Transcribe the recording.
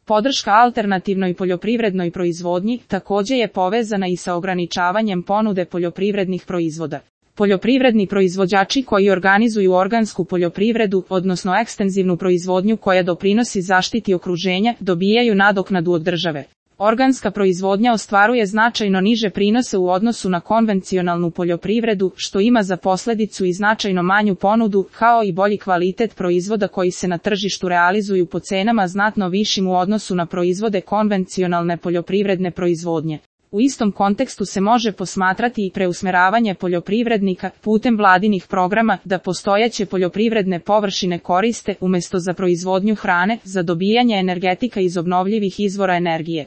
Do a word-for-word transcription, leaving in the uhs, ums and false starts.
Podrška alternativnoj poljoprivrednoj proizvodnji također je povezana i sa ograničavanjem ponude poljoprivrednih proizvoda. Poljoprivredni proizvođači koji organizuju organsku poljoprivredu, odnosno ekstenzivnu proizvodnju koja doprinosi zaštiti okruženja, dobijaju nadoknadu od države. Organska proizvodnja ostvaruje značajno niže prinose u odnosu na konvencionalnu poljoprivredu, što ima za posljedicu i značajno manju ponudu, kao i bolji kvalitet proizvoda koji se na tržištu realizuju po cenama znatno višim u odnosu na proizvode konvencionalne poljoprivredne proizvodnje. U istom kontekstu se može posmatrati i preusmjeravanje poljoprivrednika putem vladinih programa da postojeće poljoprivredne površine koriste umjesto za proizvodnju hrane, za dobijanje energetika iz obnovljivih izvora energije.